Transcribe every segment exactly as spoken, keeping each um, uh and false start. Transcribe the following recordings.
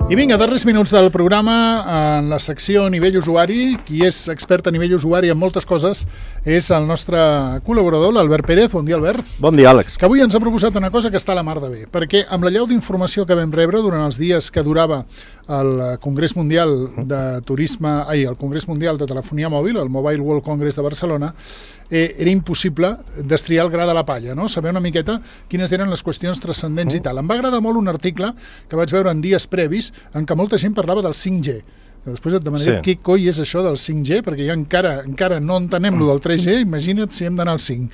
I vinga, darrers minuts del programa, en la secció nivell usuari. Qui és expert a nivell usuari en moltes coses és el nostre col·laborador, l'Albert Pérez. Bon dia, Albert. Bon dia, Àlex. Que avui ens ha proposat una cosa que està a la mar de bé, perquè amb la llau d'informació que vam rebre durant els dies que durava el Congrés Mundial de Turisme, ai, el Congrés Mundial de Telefonia Mòbil, el Mobile World Congress de Barcelona, eh, era impossible destriar el gra de la palla, no? Saber una miqueta quines eren les qüestions transcendents i tal. Em va agradar molt un article que vaig veure en dies previs en què molta gent parlava del cinc G. Després et demanaré sí. Què coi és això del cinc G, perquè ja encara encara no entenem lo del tres G, imagina't si hem d'anar al cinc.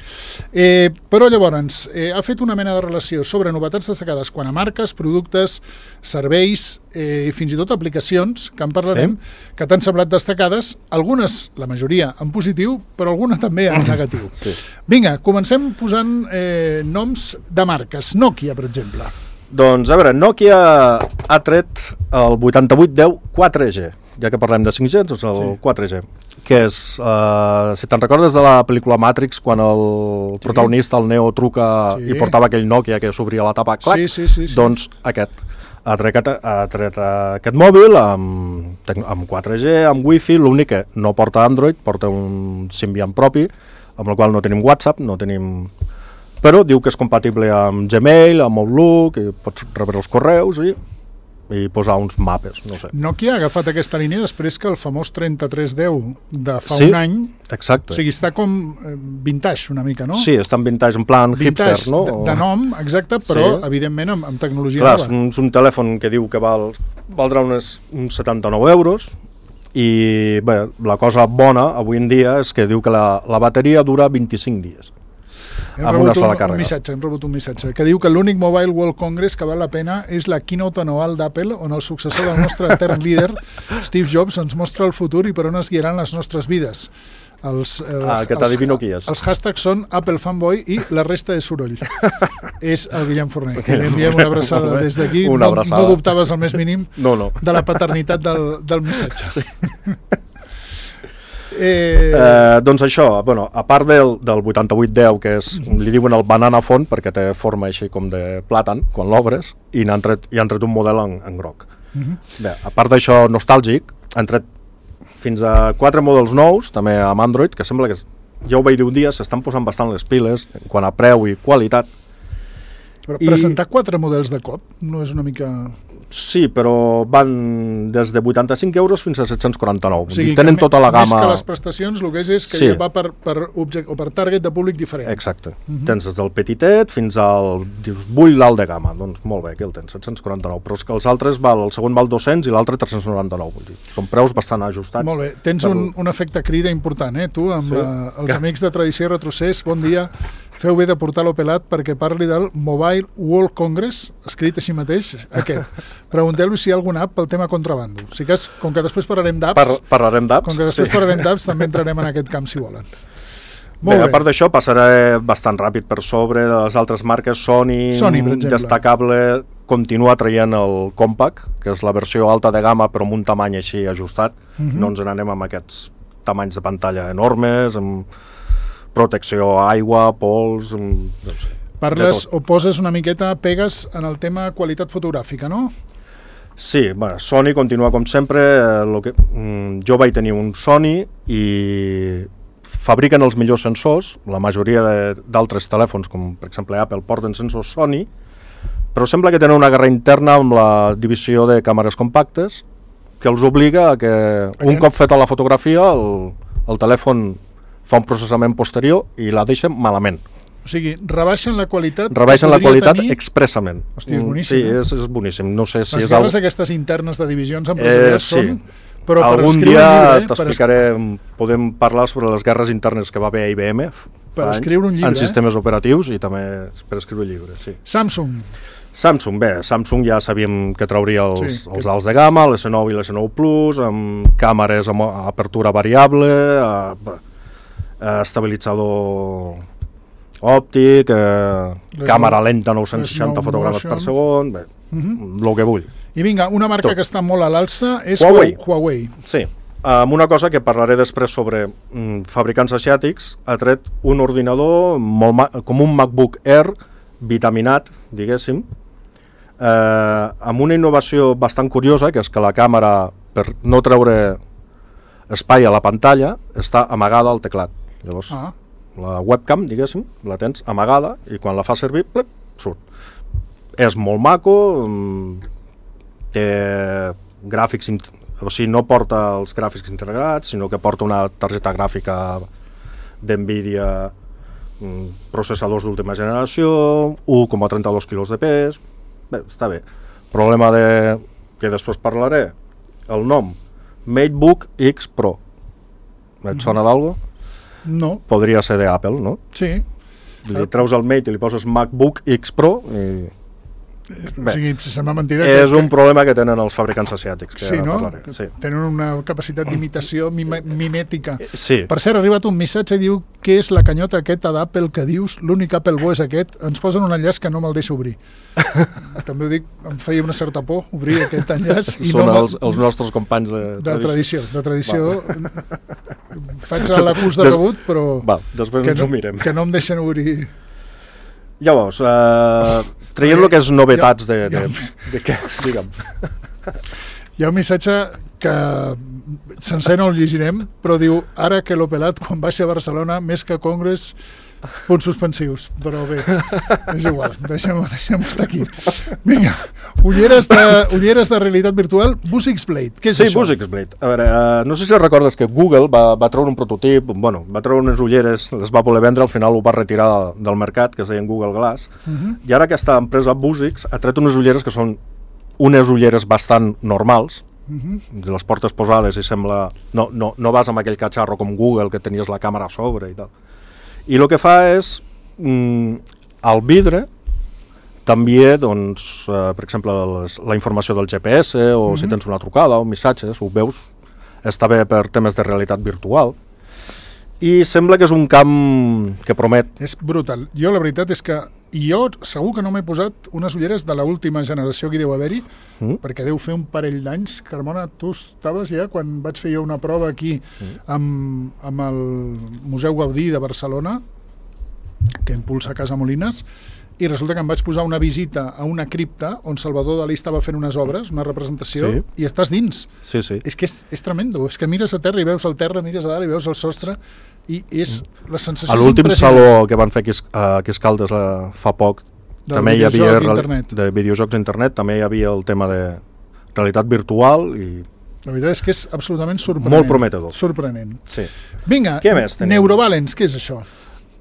Eh, però llavors, eh, ha fet una mena de relació sobre novetats destacades quan a marques, productes, serveis eh, i fins i tot aplicacions, que en parlarem, sí. que t'han semblat destacades, algunes, la majoria, en positiu, però alguna també en negatiu. Sí. Vinga, comencem posant eh, noms de marques. Nokia, per exemple. Doncs, a veure, Nokia ha tret el vuitanta-vuit deu quatre G, ja que parlem de cinc G, doncs el sí. quatre G, que és, uh, si te'n recordes de la pel·lícula Matrix, quan el sí. protagonista, el Neo, truca sí. i portava aquell Nokia que s'obria la tapa, clac, sí, sí, sí, sí. doncs aquest. Ha tret, ha tret aquest mòbil amb, amb quatre G, amb Wi-Fi, l'únic que no porta Android, porta un Symbian propi, amb el qual no tenim WhatsApp, no tenim... però diu que és compatible amb Gmail, amb Outlook, i pots rebre els correus i, i posar uns mapes, no sé. Nokia ha agafat aquesta línia després que el famós trenta-tres deu de fa sí, un any, exacte. O sigui, està com vintage una mica, no? Sí, està en vintage, en plan vintage, hipster, no? De, de nom, exacte, però sí. evidentment amb, amb tecnologia Clar, nova. És un telèfon que diu que val, valdrà unes, uns setanta-nou euros, i bé, la cosa bona avui en dia és que diu que la, la bateria dura vint-i-cinc dies. Hem amb una sola un, càrrega. Un missatge, hem rebut un missatge que diu que l'únic Mobile World Congress que val la pena és la keynote anual d'Apple, on el successor del nostre etern líder, Steve Jobs, ens mostra el futur i per on es guiaran les nostres vides. Els, els, ah, que t'adivino qui és. Els hashtags són Apple Fanboy i la resta és soroll. És el Guillem Forner, que li enviem una abraçada des d'aquí. No, no dubtaves el més mínim no, no. de la paternitat del, del missatge. Sí. Eh... Eh, doncs això, bueno, a part del, del vuitanta-vuit deu, que és, li diuen el banana font, perquè té forma així com de plàtan, quan l'obres, i han tret, i han tret un model en, en groc. Uh -huh. Bé, a part d'això nostàlgic, han tret fins a quatre models nous, també amb Android, que sembla que, ja ho vaig dir un dia, s'estan posant bastant les piles, en quant a preu i qualitat. Però presentar I... quatre models de cop no és una mica... Sí, però van des de vuitanta-cinc euros fins a set-cents quaranta-nou. O sigui, tenen tota la gamma... Més que les prestacions, el que és és que sí. ja va per, per, object, o per target de públic diferent. Exacte. Uh-huh. Tens des del petitet fins al... Dius, vull l'alt de gamma. Doncs molt bé, aquí el tens, set-cents quaranta-nou. Però és que els altres, val, el segon val dos-cents i l'altre tres-cents noranta-nou. Vull dir, són preus bastant ajustats. Molt bé. Tens per... un, un efecte crida important, eh, tu, amb sí. la, els que... amics de Tradició i Retrocés. Bon dia. Feu bé de portar l'Opelat perquè parli del Mobile World Congress, escrit així mateix, aquest. Pregunteu-li si hi ha alguna app pel tema contrabando. O sigui que, és, com que després parlarem d'apps, Par parlarem d'apps, com que després sí. parlarem d'apps, també entrarem en aquest camp, si volen. Molt bé, bé. A part d'això, passaré bastant ràpid per sobre de les altres marques. Sony, Sony per exemple. Destacable, continua traient el Compact, que és la versió alta de gamma, però amb un tamany així ajustat. Uh-huh. No ens n'anem amb aquests tamanys de pantalla enormes, amb protecció a aigua, pols... No sé, parles o poses una miqueta, pegues en el tema qualitat fotogràfica, no? Sí, bueno, Sony continua com sempre. Eh, lo que, mm, jo vaig tenir un Sony i fabriquen els millors sensors. La majoria d'altres telèfons, com per exemple Apple, porten sensors Sony, però sembla que tenen una guerra interna amb la divisió de càmeres compactes que els obliga a que Aquest... un cop feta la fotografia el, el telèfon fa un processament posterior i la deixen malament. O sigui, rebaixen la qualitat... Rebaixen la qualitat tenir... expressament. Hòstia, és boníssim. Sí, és, és boníssim. No sé si les és guerres el... aquestes internes de divisions empresarials eh, sí. són... Però algun per dia t'explicaré, per... podem parlar sobre les guerres internes que va haver a I B M per escriure un llibre, en sistemes eh? operatius i també per escriure llibres. Sí. Samsung. Samsung, bé, Samsung ja sabíem que trauria els, sí, els que... alts de gamma, l'S nou i l'S nou Plus, amb càmeres amb apertura variable, eh, estabilitzador òptic, eh, càmera lenta nou-cents seixanta fotogrames per segon, bé, el uh -huh. que vull. I vinga, una marca Tot. que està molt a l'alça és Huawei. Huawei. Sí, amb una cosa que parlaré després sobre mm, fabricants asiàtics, ha tret un ordinador molt com un MacBook Air vitaminat, diguéssim, eh, amb una innovació bastant curiosa, que és que la càmera, per no treure espai a la pantalla, està amagada al teclat. Llavors, ah. la webcam, diguéssim, la tens amagada i quan la fa servir, plep, surt. És molt maco, té gràfics, o sigui, no porta els gràfics integrats, sinó que porta una targeta gràfica d'Nvidia, processadors d'última generació, un coma trenta-dos quilos de pes. Bé, està bé. Problema de... que després parlaré, el nom, MateBook X Pro. Et sona d'algo? No. Podria ser d'Apple, no? Sí. Li treus el Mate i li poses MacBook X Pro i... Bé, o sigui, si sembla mentida... És que, un problema que tenen els fabricants asiàtics. Que sí, no? Sí. Tenen una capacitat d'imitació mim mimètica. Sí. Per cert, ha arribat un missatge i diu què és la canyota aquesta d'Apple que dius, l'únic Apple bo és aquest, ens posen un enllaç que no me'l deixa obrir. També ho dic, em feia una certa por obrir aquest enllaç. I Són no els, els nostres companys de, de tradició. De tradició. Faig l'acús de rebut, però va, després ens no, ho mirem. Que no em deixen obrir... Llavors, eh, traient el que és novetats de, de, de, de què, digue'm. Hi ha un missatge que sencer no el llegirem, però diu, ara que l'ho pelat quan baixi a Barcelona, més que Congress, punts suspensius. Però bé, és igual, deixem-ho deixem estar aquí. Vinga, ulleres de, ulleres de realitat virtual, Vuzix Blade, què és sí, això? Sí, Vuzix Blade. A veure, uh, no sé si recordes que Google va, va treure un prototip, bueno, va treure unes ulleres, les va voler vendre, al final ho va retirar del mercat, que es deien Google Glass, uh -huh. i ara aquesta empresa Vuzix ha tret unes ulleres que són unes ulleres bastant normals, uh -huh. les portes posades i sembla... No, no, no vas amb aquell catxarro com Google, que tenies la càmera a sobre i tal. I el que fa és, mm, al vidre, també, doncs, eh, per exemple, les, la informació del G P S, o mm-hmm. si tens una trucada o missatges, ho veus, està bé per temes de realitat virtual, i sembla que és un camp que promet. És brutal. Jo la veritat és que, i jo segur que no m'he posat unes ulleres de l'última generació que hi deu haver-hi, mm. perquè deu fer un parell d'anys. Carmona, tu estaves ja quan vaig fer jo una prova aquí mm. amb, amb el Museu Gaudí de Barcelona, que impulsa Casa Molines, i resulta que em vaig posar una visita a una cripta on Salvador Dalí estava fent unes obres, una representació, sí. i estàs dins. Sí, sí. És que és, és tremendo. És que mires a terra i veus el terra, mires a dalt i veus el sostre, i és la sensació a l'últim saló que van fer aquí a Escaldes uh, fa poc, del també hi havia de videojocs d'internet, també hi havia el tema de realitat virtual i... La veritat és que és absolutament sorprenent. Molt prometedor. Sorprenent. Sí. Vinga, Neurobalance, què és això?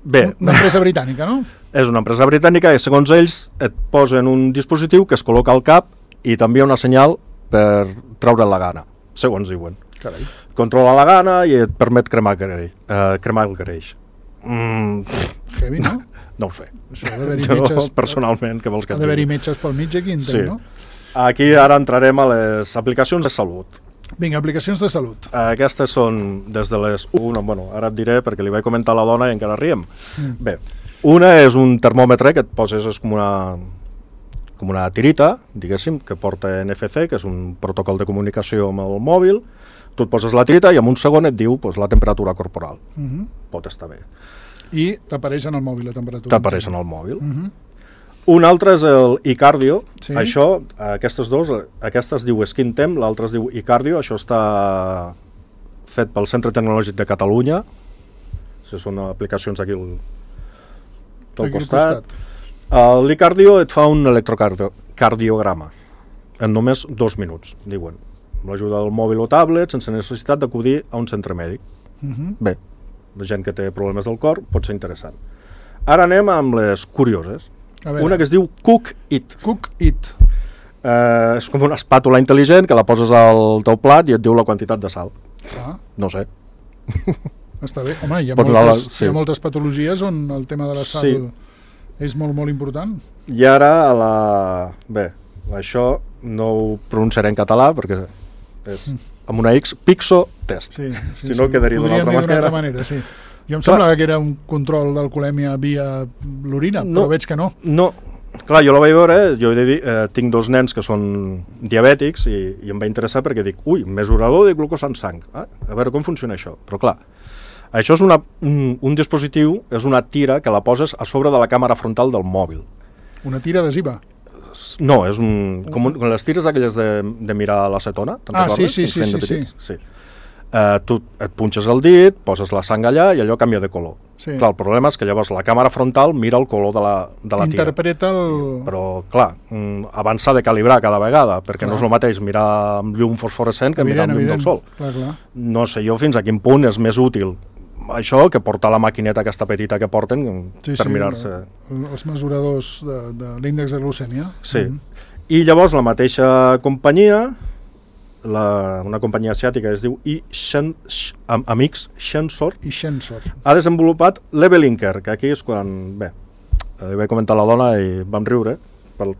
Bé, una empresa britànica, no? És una empresa britànica i segons ells et posen un dispositiu que es col·loca al cap i també una senyal per treure la gana, segons diuen. Carai. Controla la gana i et permet cremar, greix, uh, cremar el greix. Mm. Heavy, no? No ho sé. Això ha d'haver-hi metges... personalment, què vols que et digui? Ha d'haver-hi metges pel mig aquí, entenc, sí. no? Aquí ara entrarem a les aplicacions de salut. Vinga, aplicacions de salut. Aquestes són des de les... Una, bueno, ara et diré perquè li vaig comentar a la dona i encara riem. Mm. Bé, una és un termòmetre que et poses, és com una, com una tirita, diguéssim, que porta N F C, que és un protocol de comunicació amb el mòbil. Tu et poses la tirita i en un segon et diu pues, la temperatura corporal. Mm-hmm. Pot estar bé. I t'apareix en el mòbil la temperatura. T'apareix en el mòbil. Mm-hmm. Un altre és el iCardio, sí. Això, aquestes dos, aquesta es diu SkinTem, l'altra es diu iCardio, això està fet pel Centre Tecnològic de Catalunya, si són aplicacions aquí al, al costat. costat. L'iCardio et fa un electrocardiograma en només dos minuts, diuen, amb l'ajuda del mòbil o tablet, sense necessitat d'acudir a un centre mèdic. Uh-huh. Bé, la gent que té problemes del cor pot ser interessant. Ara anem amb les curioses. Una que es diu Cook It. Cook It. Eh, és com una espàtula intel·ligent que la poses al teu plat i et diu la quantitat de sal. Ah. No sé. Està bé. Home, hi ha, moltes, sí. hi ha moltes patologies on el tema de la sal sí. és molt, molt important. I ara, a la... bé, això no ho pronunciaré en català perquè és mm. amb una X, Pixo Test. Sí, sí, si no, sí. quedaria d'una altra manera. altra manera sí. Jo em semblava que era un control d'alcoholèmia via l'orina, no, però veig que no. No, clar, jo la vaig veure, jo he de dir, eh, tinc dos nens que són diabètics i, i em va interessar perquè dic, ui, mesurador de glucosa en sang, ah, a veure com funciona això. Però clar, això és una, un, un dispositiu, és una tira que la poses a sobre de la càmera frontal del mòbil. Una tira adhesiva? No, és un... Com, un, com les tires aquelles de, de mirar l'acetona, te'n ah, recordes? Sí, sí, sí, sí, sí. sí. Uh, tu et punxes el dit, poses la sang allà i allò canvia de color. Sí. Clar, el problema és que llavors la càmera frontal mira el color de la, de la tira. Interpreta el... Però, clar, abans s'ha de calibrar cada vegada, perquè clar. No és el mateix mirar amb llum fosforescent que evident, mirar amb llum evident. Del sol. Clar, clar. No sé jo fins a quin punt és més útil això que portar la maquineta aquesta petita que porten sí, per sí, mirar-se. Els mesuradors de, de l'índex de glucèmia. Sí. Mm. I llavors la mateixa companyia, la, una companyia asiàtica que es diu I Shen, Am, Amix Shensor, I Shensor, ha desenvolupat l'Evelinker, que aquí és quan, bé, li vaig comentar a la dona i vam riure per,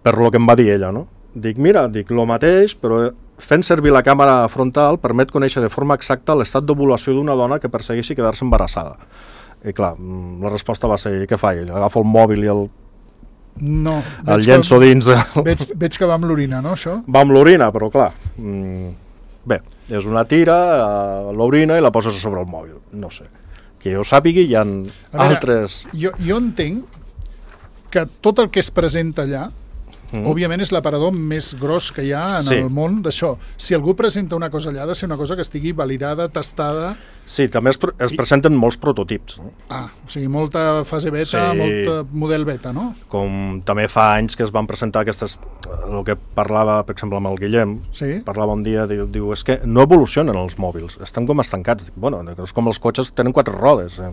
per lo que em va dir ella, no? Dic, mira, dic, lo mateix, però fent servir la càmera frontal permet conèixer de forma exacta l'estat d'ovulació d'una dona que persegueixi quedar-se embarassada. I clar, la resposta va ser, què fa ell? Agafa el mòbil i el No, el llenço que, dins... Veig, veig que va amb l'orina, no, això? Va amb l'orina, però clar, mmm, bé, és una tira, uh, l'orina i la poses a sobre el mòbil, no sé. Que jo sàpigui, hi ha veure, altres... Jo, jo entenc que tot el que es presenta allà, mm. òbviament és l'aparador més gros que hi ha en sí. el món d'això. Si algú presenta una cosa allà, ha de ser una cosa que estigui validada, tastada... Sí, també es, es presenten I... molts prototips. No? Ah, o sigui, molta fase beta, sí. molta model beta, no? Com també fa anys que es van presentar aquestes... El que parlava, per exemple, amb el Guillem, sí. parlava un dia, diu, diu, és que no evolucionen els mòbils, estan com estancats. Bueno, és com els cotxes tenen quatre rodes. Eh?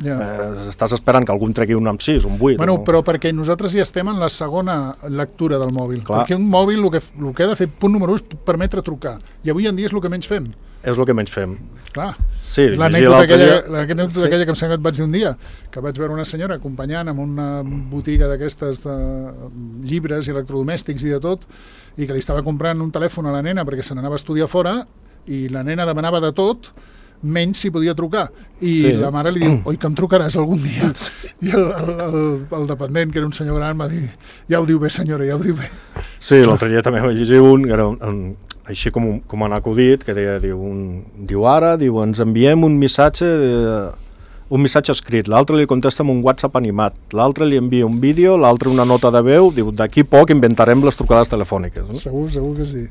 Ja. Eh, estàs esperant que algun tregui un amb sis, un vuit. Bueno, no? Però perquè nosaltres ja estem en la segona lectura del mòbil. Clar. Perquè un mòbil el que, el que ha de fer, punt número un, és permetre trucar. I avui en dia és el que menys fem. És el que menys fem. Clar. Sí, l'anècdota aquella, dia... sí. aquella que em sembla que et vaig dir un dia, que vaig veure una senyora acompanyant en una botiga d'aquestes de llibres i electrodomèstics i de tot, i que li estava comprant un telèfon a la nena perquè se n'anava a estudiar fora, i la nena demanava de tot, menys si podia trucar. I sí. la mare li diu, oi que em trucaràs algun dia? Sí. I el, el, el, el dependent, que era un senyor gran, va dir, ja ho diu bé senyora, ja ho diu bé. Sí, l'altre dia també vaig llegir un, que era un, un així com, com han acudit, que deia, diu, un, diu ara, diu, ens enviem un missatge, de, un missatge escrit, l'altre li contesta amb un WhatsApp animat, l'altre li envia un vídeo, l'altre una nota de veu, diu, d'aquí poc inventarem les trucades telefòniques. No? Segur, segur que sí.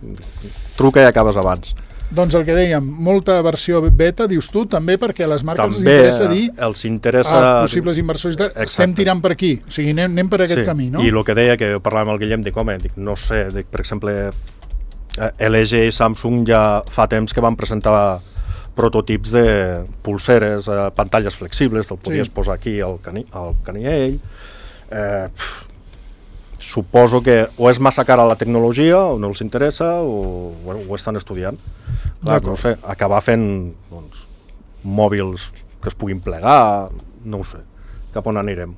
Truca i acabes abans. Doncs el que dèiem, molta versió beta, dius tu, també perquè a les marques també els interessa dir els interessa... a possibles inversors, estem tirant per aquí, o sigui, anem, anem per aquest sí. camí, no? I el que deia, que parlàvem amb el Guillem, dic, home, dic, no sé, dic, per exemple, L G i Samsung ja fa temps que van presentar prototips de pulseres, eh, pantalles flexibles, te'l podies sí. posar aquí al, cani, al caniell. Eh, suposo que o és massa cara la tecnologia, o no els interessa, o bueno, ho estan estudiant. Clar, no sé, acabar fent doncs, mòbils que es puguin plegar, no ho sé, cap on anirem.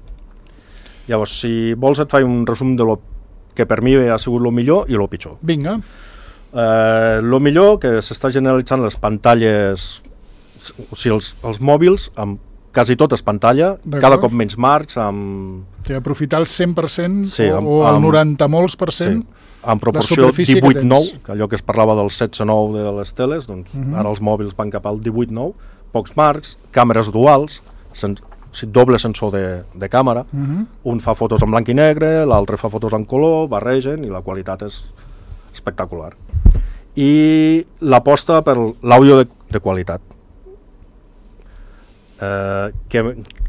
Llavors, si vols et faig un resum de lo que per mi ha sigut el millor i el pitjor. Vinga. El eh, millor, que s'està generalitzant les pantalles, o sigui, els, els mòbils amb quasi tot és pantalla, cada cop menys marcs, amb... Sí, aprofitar el cent per cent sí, amb, o el noranta molts per cent, sí, amb proporció divuit nou, que allò que es parlava del setze nou de les teles, doncs uh-huh. ara els mòbils van cap al divuit nou, pocs marcs, càmeres duals, sen, doble sensor de, de càmera, uh-huh. un fa fotos en blanc i negre, l'altre fa fotos en color, barregen i la qualitat és espectacular. I l'aposta per l'àudio de, de qualitat. Eh, que,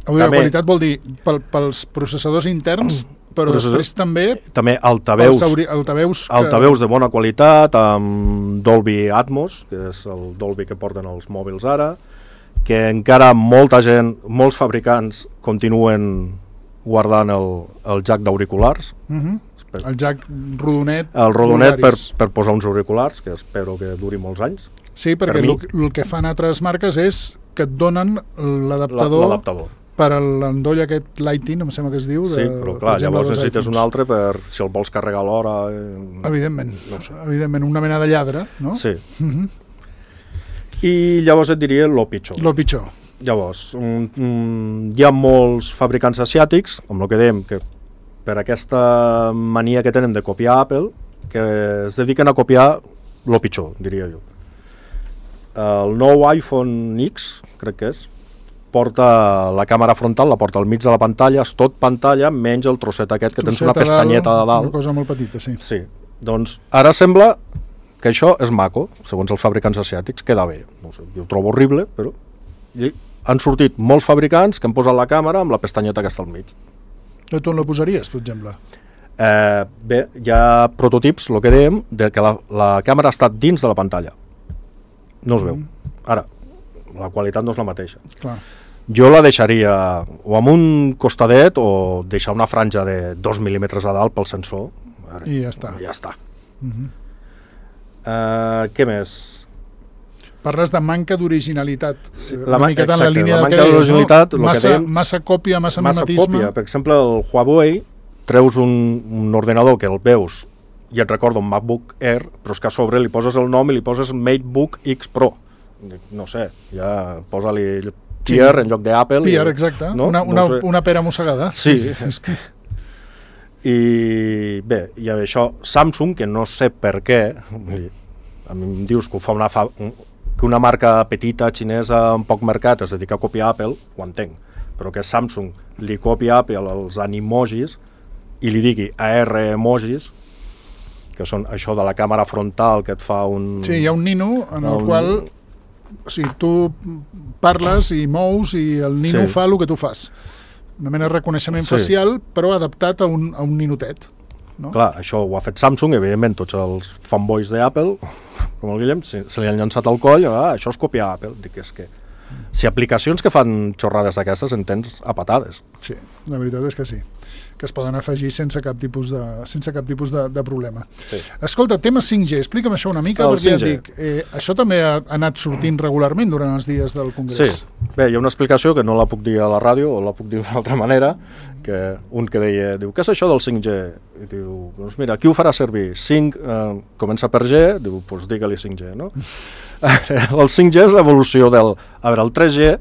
àudio de qualitat vol dir pel, pels processadors interns, però després també, també altaveus, auri, altaveus, que... altaveus de bona qualitat, amb Dolby Atmos, que és el Dolby que porten els mòbils ara, que encara molta gent, molts fabricants continuen guardant el, el jack d'auriculars. Uh-huh. El jack rodonet. El rodonet per, per posar uns auriculars, que espero que duri molts anys. Sí, perquè per el, el que fan altres marques és que et donen l'adaptador per a l'endoll aquest Lighting, em sembla que es diu. De, sí, però clar, llavors necessites un altre per si el vols carregar a l'hora. Eh, evidentment, no sé. Evidentment, una mena de lladre, no? Sí. Uh-huh. I llavors et diria lo pitjor. Lo pitjor. Llavors, um, um, hi ha molts fabricants asiàtics, com el que dèiem, que per aquesta mania que tenen de copiar Apple, que es dediquen a copiar lo pitjor, diria jo. El nou iPhone X, crec que és, porta la càmera frontal, la porta al mig de la pantalla, és tot pantalla, menys el trosset aquest, que tens una pestanyeta de dalt. Una cosa molt petita, sí. Sí, doncs ara sembla que això és maco, segons els fabricants asiàtics, queda bé. No sé, jo ho trobo horrible, però... I han sortit molts fabricants que han posat la càmera amb la pestanyeta que està al mig. Tu on la posaries, per exemple? Eh, bé, hi ha prototips, el que dèiem, de que la, la càmera està dins de la pantalla. No es veu. Mm. Ara, la qualitat no és la mateixa. Clar. Jo la deixaria o amb un costadet o deixar una franja de dos mil·límetres a dalt pel sensor. I ja està. Ja està. Mm-hmm. uh, què més? Parles de manca d'originalitat. Sí, la una miqueta en la línia la del que deies, no? Massa, massa còpia, massa, massa mimetisme. Còpia. Per exemple, el Huawei treus un, un ordenador que el veus i et recorda un MacBook Air, però és que a sobre li poses el nom i li poses MateBook X Pro. No sé, ja posa-li Pier sí. en lloc d'Apple. Pier, exacte. No? Una, una, no sé. Una pera mossegada. Sí, és que... I bé, i això, Samsung, que no sé per què, a mi em dius que ho fa una, fa, que una marca petita, xinesa, amb poc mercat, es dedica a copiar Apple, ho entenc, però que Samsung li copia a Apple els animojis i li digui A R emojis, que són això de la càmera frontal que et fa un... Sí, hi ha un nino en el un... qual o sigui, tu parles i mous i el nino sí. fa el que tu fas. Una mena de reconeixement sí. facial, però adaptat a un, a un ninotet. No? Clar, això ho ha fet Samsung, evidentment tots els fanboys d'Apple, com el Guillem, se, se li han llançat al coll, ah, això és copiar Apple. Dic, és que si aplicacions que fan xorrades d'aquestes en tens a patades. Sí, la veritat és que sí, que es poden afegir sense cap tipus de, sense cap tipus de, de problema. Sí. Escolta, tema cinc G, explica'm això una mica, el perquè ja et dic, eh, això també ha anat sortint regularment durant els dies del Congrés. Sí, bé, hi ha una explicació que no la puc dir a la ràdio, o la puc dir d'una altra manera, que un que deia, diu, què és això del cinc G? I diu, doncs mira, qui ho farà servir? cinc eh, comença per G, diu, doncs digue-li cinc G, no? El cinc G és l'evolució del... A veure, el tres G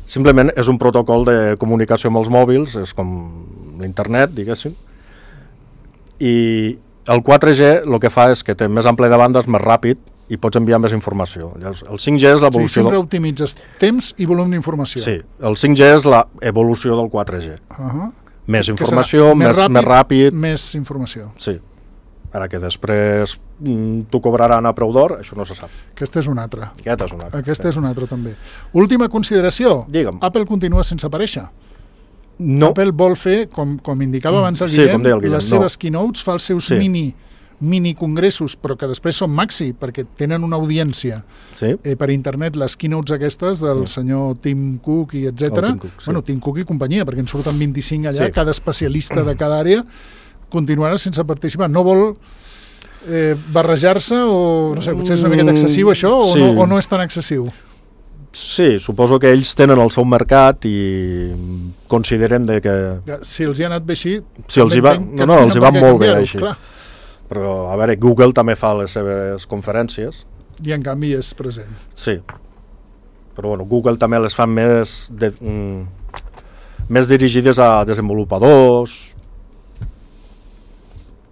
simplement és un protocol de comunicació amb els mòbils, és com l'internet, diguéssim, i el quatre G el que fa és que té més ample de bandes, més ràpid, i pots enviar més informació. Llavors, el cinc G és l'evolució... Sí, sempre optimitzes temps i volum d'informació. Sí, el cinc G és l'evolució del quatre G. Uh-huh. Més informació, més, més, ràpid, més ràpid... Més informació. Sí. Ara que després mm, t'ho cobraran a preu d'or, això no se sap. Aquesta és una altra. Aquesta és una altra. Aquesta sí. és una altra, també. Última consideració. Digue'm. Apple continua sense aparèixer. No. Apple vol fer, com, com indicava abans el sí, Guillem, el Guillem, les no. seves keynotes, fa els seus sí. mini, mini congressos, però que després són maxi, perquè tenen una audiència sí. eh, per internet, les keynotes aquestes del sí. senyor Tim Cook i etcètera. Tim Cook, sí. Bueno, Tim Cook i companyia, perquè en surten vint-i-cinc allà, sí. cada especialista de cada àrea continuarà sense participar. No vol eh, barrejar-se o, no sé, potser és una miqueta excessiu això o, sí. no, o no és tan excessiu? Sí, suposo que ells tenen el seu mercat i consideren de que... Si els hi ha anat bé així... Si els hi va, no, no, els hi va molt bé així. Clar. Però, a veure, Google també fa les seves conferències. I en canvi és present. Sí. Però, bueno, Google també les fa més, de, mm, més dirigides a desenvolupadors.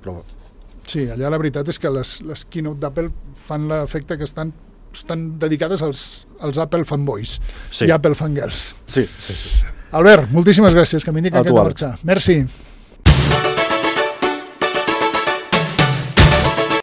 Però... Sí, allà la veritat és que les, les keynote d'Apple fan l'efecte que estan estan dedicades als, als Apple fanboys sí. i Apple fangirls. Sí, sí, sí. Albert, moltíssimes gràcies, que m'indica que hem de marxar. Merci.